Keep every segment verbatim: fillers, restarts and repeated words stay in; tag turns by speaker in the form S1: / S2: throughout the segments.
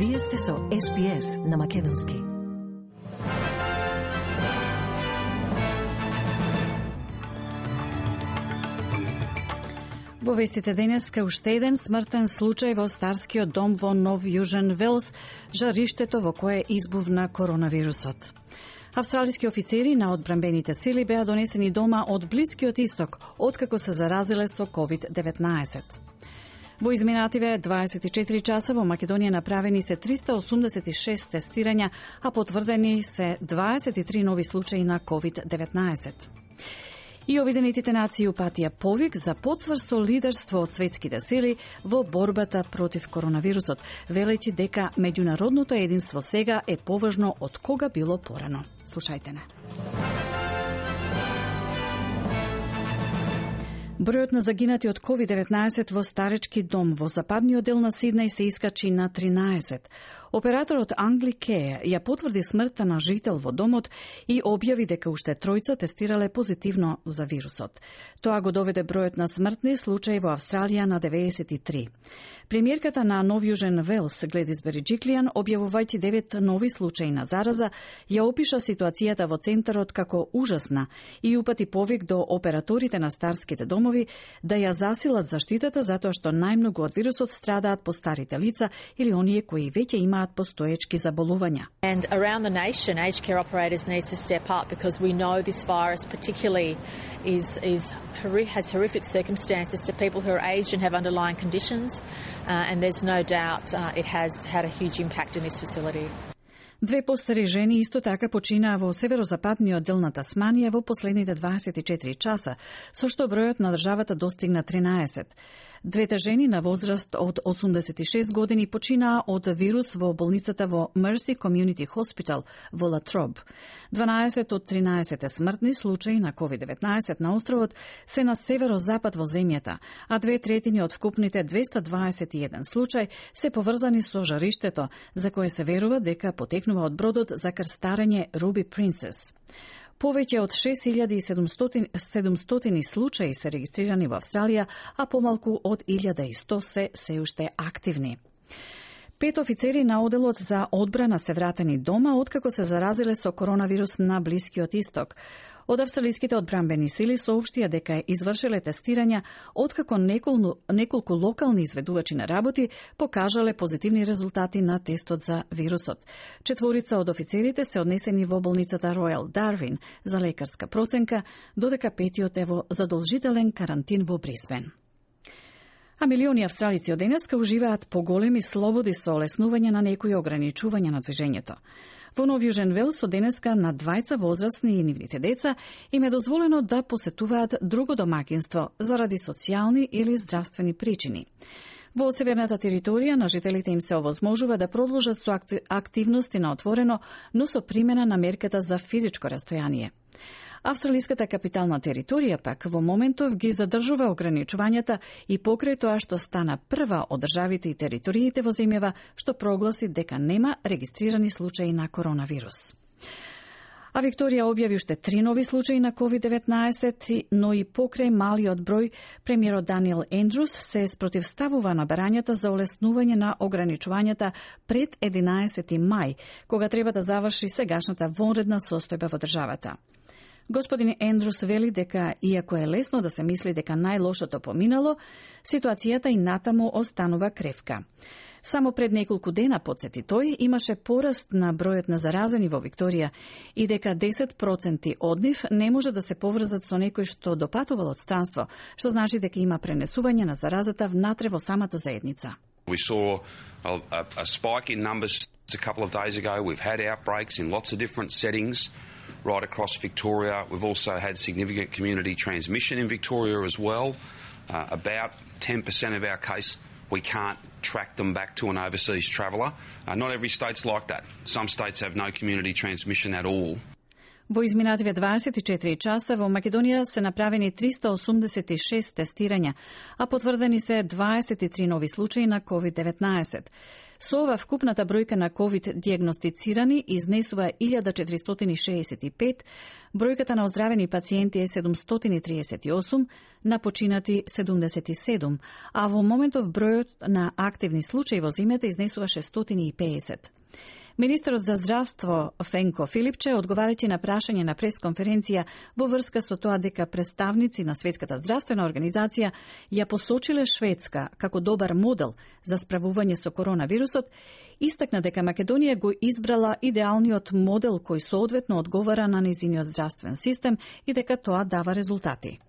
S1: Вие сте со Ес Би Ес на Македонски.
S2: Во вестите денеска уште еден смртен случај во старскиот дом во Нов Јужен Велс, жариштето во кое избувна коронавирусот. Австралиски офицери на одбранбените сили беа донесени дома од Блискиот Исток, откако се заразиле со ковид деветнаесет. Во изминативе дваесет и четири часа во Македонија направени се триста осумдесет и шест тестирања, а потврдени се дваесет и три нови случаи на ковид деветнаесет. И Обединетите нации упатија повик за потврсто лидерство од светските сили во борбата против коронавирусот, велејќи дека меѓународното единство сега е поважно од кога било порано. Слушајте не. Бројот на загинати од ковид деветнаесет во старечки дом во западниот дел на Сиднеј се искачи на тринаесет. Операторот Англи Ке ја потврди смртта на жител во домот и објави дека уште тројца тестирале позитивно за вирусот. Тоа го доведе бројот на смртни случаи во Австралија на деветдесет и три. Премиерката на Нов Јужен Велс, Гледис Бериџиклијан, објавувајќи девет нови случаи на зараза, ја опиша ситуацијата во центарот како ужасна и упати повик до операторите на старските домови да ја засилат заштитата затоа што најмногу од вирусот страдаат постарите лица или оние кои веќе имаат постоечки заболувања.
S3: And around the nation, aged care operators need to step up because we know this virus particularly is is has horrific circumstances to people who are aged and have underlying conditions, uh, and there's no doubt uh, it has had a huge impact in this facility.
S2: Две постари жени исто така починаа во северозападниот дел на Тасманија во последните дваесет и четири часа, со што бројот на државата достигна тринаесет. Двете жени на возраст од осумдесет и шест години починаа од вирус во болницата во Mercy Community Hospital во Латроб. дванаесет од тринаесет смртни случаи на ковид деветнаесет на островот се на северозапад во земјата, а две третини од вкупните двеста дваесет и еден случаи се поврзани со жариштето, за кое се верува дека потекнува од бродот за крстарење Ruby Princess. Повеќе од шест илјади и седумстотини случаи се регистрирани во Австралија, а помалку од илјада и сто се се уште активни. Пет офицери на оделот за одбрана се вратени дома откако се заразиле со коронавирус на Блискиот Исток. Од австралиските одбранбени сили соопштија дека извршиле тестирања откако неколку, неколку локални изведувачи на работи покажале позитивни резултати на тестот за вирусот. Четворица од офицерите се однесени во болницата Ројал Дарвин за лекарска проценка, додека петиот е во задолжителен карантин во Брисбен. А милиони австралици од денеска уживаат поголеми слободи со олеснување на некои ограничувања на движењето. Во Нов Јужен Велс од денеска на двајца возрастни и нивните деца им е дозволено да посетуваат друго домакинство заради социјални или здравствени причини. Во северната територија на жителите им се овозможува да продолжат со активности на отворено, но со примена на мерката за физичко растојание. Австралиската капитална територија пак во моментов ги задржува ограничувањата и покрај тоа што стана прва од државите и териториите во земјава што прогласи дека нема регистрирани случаи на коронавирус. А Викторија објави уште три нови случаи на ковид деветнаесет, но и покрај малиот број, премиерот Даниел Ендрус се спротивставува на барањата за олеснување на ограничувањата пред единаесети мај, кога треба да заврши сегашната вонредна состојба во државата. Господин Ендрус вели дека, иако е лесно да се мисли дека најлошото поминало, ситуацијата и натаму останува кревка. Само пред неколку дена, подсети тој, имаше пораст на бројот на заразени во Викторија и дека десет проценти од нив не може да се поврзат со некој што допатувал од странство, што значи дека има пренесување на заразата внатре во самата заедница.
S4: We saw a, a, a spike in numbers a couple of days ago. We've had outbreaks in lots of different settings right across Victoria. We've also had significant community transmission in Victoria as well. Uh, about ten percent of our case, we can't track them back to an overseas traveller. Uh, not every state's like that. Some states have no community transmission at all.
S2: Во изминативе дваесет и четири часа во Македонија се направени триста осумдесет и шест тестирања, а потврдени се дваесет и три нови случаи на ковид деветнаесет. Со ова вкупната бројка на ковид дијагностицирани изнесува илјада четиристотини шеесет и пет, бројката на оздравени пациенти е седумстотини триесет и осум, на починати седумдесет и седум, а во моментов бројот на активни случаи во земјата изнесува шестстотини и педесет. Министерот за здравство Фенко Филипче, одговарајќи на прашање на пресконференција во врска со тоа дека представници на Светската здравствена организација ја посочиле Шведска како добар модел за справување со коронавирусот, истакна дека Македонија го избрала идеалниот модел кој соодветно одговара на нејзиниот здравствен систем и дека тоа дава резултати.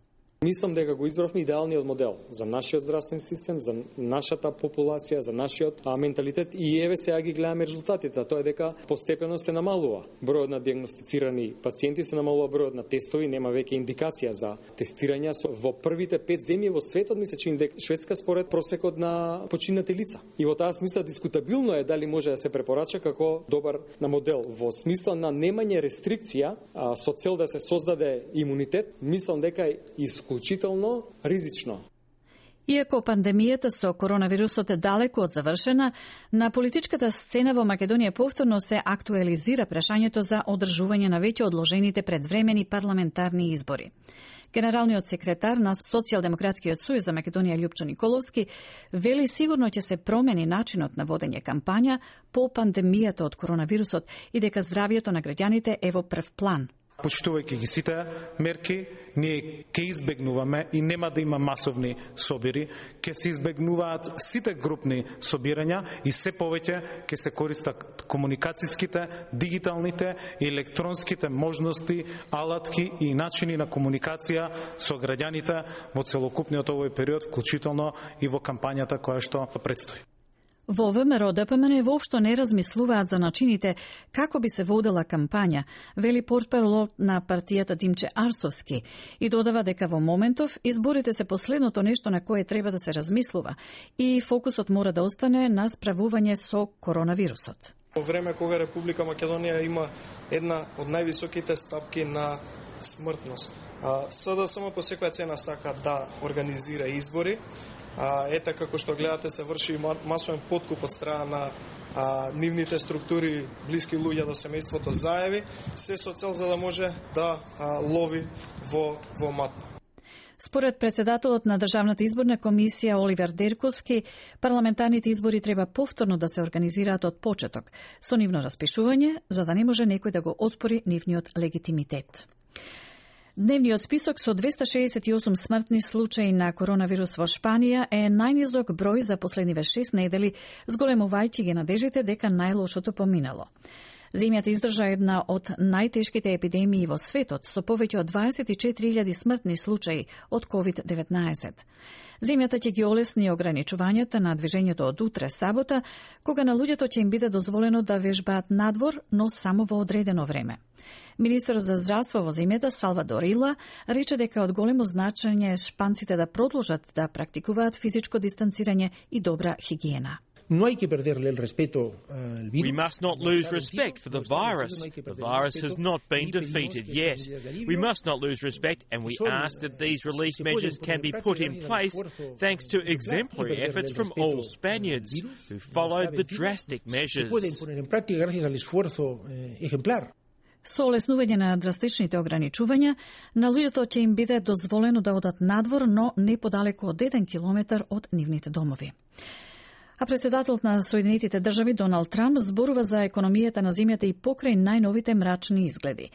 S5: Мислам дека го избравме идеалниот модел за нашиот здравствен систем, за нашата популација, за нашиот а, менталитет и еве сега ги гледаме резултатите. Тоа е дека постепено се намалува бројот на дијагностицирани пациенти, се намалува бројот на тестови, нема веќе индикација за тестирање. Во првите пет земји во светот ми се чини дека Шведска според просекот на починати лица. И во таа смисла дискутабилно е дали може да се препорача како добар на модел во смисла на немање рестрикција а, со цел да се создаде имунитет. Мислам дека е исклучително ризично.
S2: Иако пандемијата со коронавирусот е далеку од завршена, на политичката сцена во Македонија повторно се актуализира прашањето за одржување на веќе одложените предвремени парламентарни избори. Генералниот секретар на Социјалдемократскиот сојуз за Македонија Љупчо Николовски вели сигурно ќе се промени начинот на водење кампања по пандемијата од коронавирусот и дека здравието на граѓаните е во прв план.
S6: Почитувајќи ги сите мерки, ние ќе избегнуваме и нема да има масовни собири, ќе се избегнуваат сите групни собирања и се повеќе ќе се користат комуникацијските, дигиталните и електронските можности, алатки и начини на комуникација со граѓаните во целокупниот овој период, вклучително и во кампањата која што предстои.
S2: Во ВМРО ДПМН воопшто не размислуваат за начините како би се водела кампања, вели портпарол на партијата Димче Арсовски и додава дека во моментов изборите се последното нешто на кое треба да се размислува и фокусот мора да остане на справување со коронавирусот.
S7: Во време кога Република Македонија има една од највисоките стапки на смртност, СДСМ по секоја цена сака да организира избори. А, ете како што гледате се врши масовен подкуп од страна на а, нивните структури блиски луѓе до семејството заеви, се со цел за да може да а, лови во, во матна.
S2: Според председателот на Државната изборна комисија Оливер Дерковски, парламентарните избори треба повторно да се организираат од почеток, со нивно распишување, за да не може некој да го оспори нивниот легитимитет. Дневниот список со двеста шеесет и осум смртни случаи на коронавирус во Шпанија е најнизок број за последниве шест недели, зголемувајќи ги надежите дека најлошото поминало. Земјата издржа една од најтешките епидемии во светот, со повеќе од дваесет и четири илјади смртни случаи од ковид деветнаесет. Земјата ќе ги олесни ограничувањата на движењето од утре сабота, кога на луѓето ќе им биде дозволено да вежбаат надвор, но само во одредено време. Министерот за здравство во земјата Салвадор Ила рече дека од големо значење шпанците да продолжат да практикуваат физичко дистанцирање и добра хигиена.
S8: No hay que perderle el respeto al virus.
S9: We must not lose respect for the virus. The virus has not been defeated yet. We must not lose respect, and we ask that these relief measures can be put in place thanks to exemplary efforts from all Spaniards who followed the drastic measures.
S2: Со олеснување на драстичните ограничувања, на луѓето ќе им биде дозволено да одат надвор, но не подалеку од еден километар од нивните домови. А председателот на Соединетите држави Доналд Трамп зборува за економијата на земјата и покрај најновите мрачни изгледи.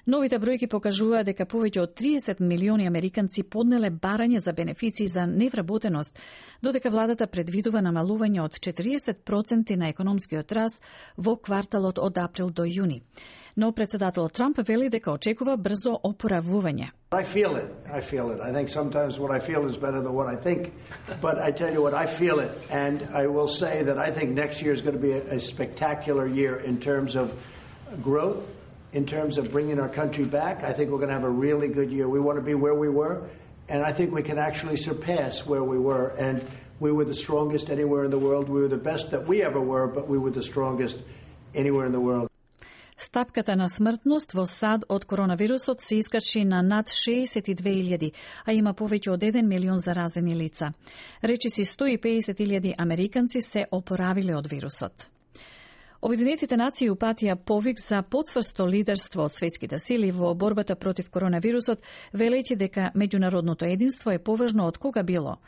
S2: Новите бројки покажуваат дека повеќе од триесет милиони американци поднеле барање за бенефиции за невработеност, додека владата предвидува намалување од четириесет проценти на економскиот раст во кварталот од април до јуни. Но председателот Трамп вели дека очекува брзо опоравување.
S10: I feel it. I feel it. I think sometimes what I feel is better than what I think. But I tell you what, I feel it. And I will say that I think next year is going to be a, a spectacular year in terms of growth, in terms of bringing our country back. I think we're going to have a really good year. We want to be where we were, and I think we can actually surpass where we were. And we were the strongest anywhere in the world. We were the best that we ever were, but we were the strongest anywhere in the world.
S2: Стапката на смртност во САД од коронавирусот се искачи на над шеесет и две илјади, а има повеќе од еден милион заразени лица. Речиси сто и педесет илјади американци се опоравиле од вирусот. Обединетите нации упатија повик за потврсто лидерство од светските сили во борбата против коронавирусот, велејќи дека меѓународното единство е поважно од кога било.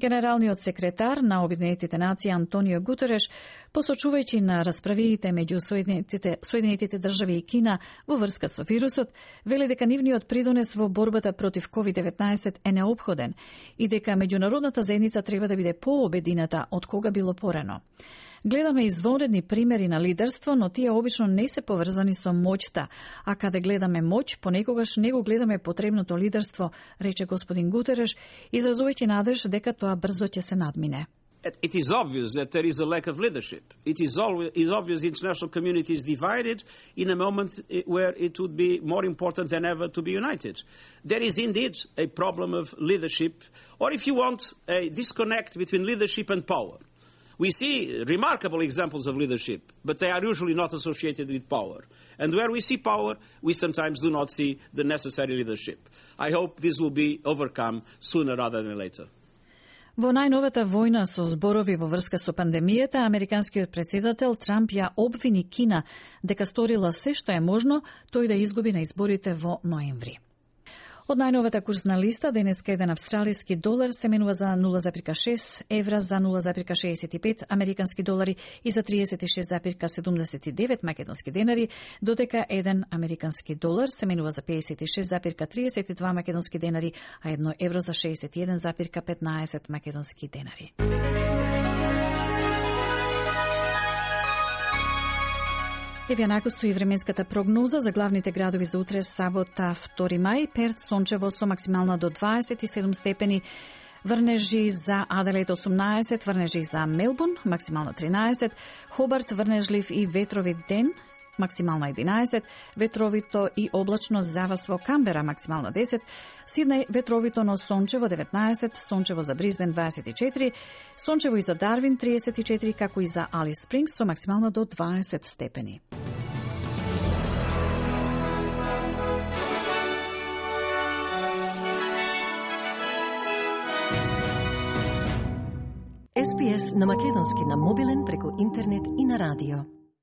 S2: Генералниот секретар на Обединетите нации Антонио Гутереш, посочувајќи на расправиите меѓу Соединетите, Соединетите држави и Кина во врска со вирусот, вели дека нивниот придонес во борбата против ковид деветнаесет е неопходен и дека меѓународната заедница треба да биде пообедината од кога било порано. Гледаме извонредни примери на лидерство, но тие обично не се поврзани со моќта, а каде гледаме моќ, понекогаш не го гледаме потребното лидерство, рече господин Гутереш, изразувајќи надеж дека тоа брзо ќе се надмине.
S11: It is obvious that there is a lack of leadership. It is, always, it is obvious the international community is divided in a moment where it would be more important than ever to be united. There is indeed a problem of leadership, or if you want, a disconnect between leadership and power. We see remarkable examples of leadership, but they are usually not associated with power. And where we see power, we sometimes do not see the necessary leadership. I hope this will be overcome sooner rather than later.
S2: Во најновата војна со зборови во врска со пандемијата, американскиот претседател Трамп ја обвини Кина дека сторила се што е можно тој да изгуби на изборите во ноември. Од најновата курсна листа, денеска еден австралиски долар се менува за нула запирка шест евра, за нула запирка шеесет и пет американски долари и за триесет и шест запирка седумдесет и девет македонски денари, додека еден американски долар се менува за педесет и шест запирка триесет и два македонски денари, а едно евро за шеесет и еден запирка петнаесет македонски денари. Еве накусу и временската прогноза за главните градови за утре, сабота, втори мај. Перт сончево со максимална до дваесет и седум степени, врнежи за Аделаид осумнаесет, врнежи за Мелбурн, максимална тринаесет, Хобарт врнежлив и ветровит ден, максимална единаесет, ветровито и облачно за вас во Камбера, максимална десет, Сиднеј ветровито, но сончево деветнаесет, сончево за Брисбен дваесет и четири, сончево и за Дарвин триесет и четири, како и за Алис Спрингс со максимална до дваесет степени.
S1: Ес Би Ес на македонски на мобилен преку интернет и на радио.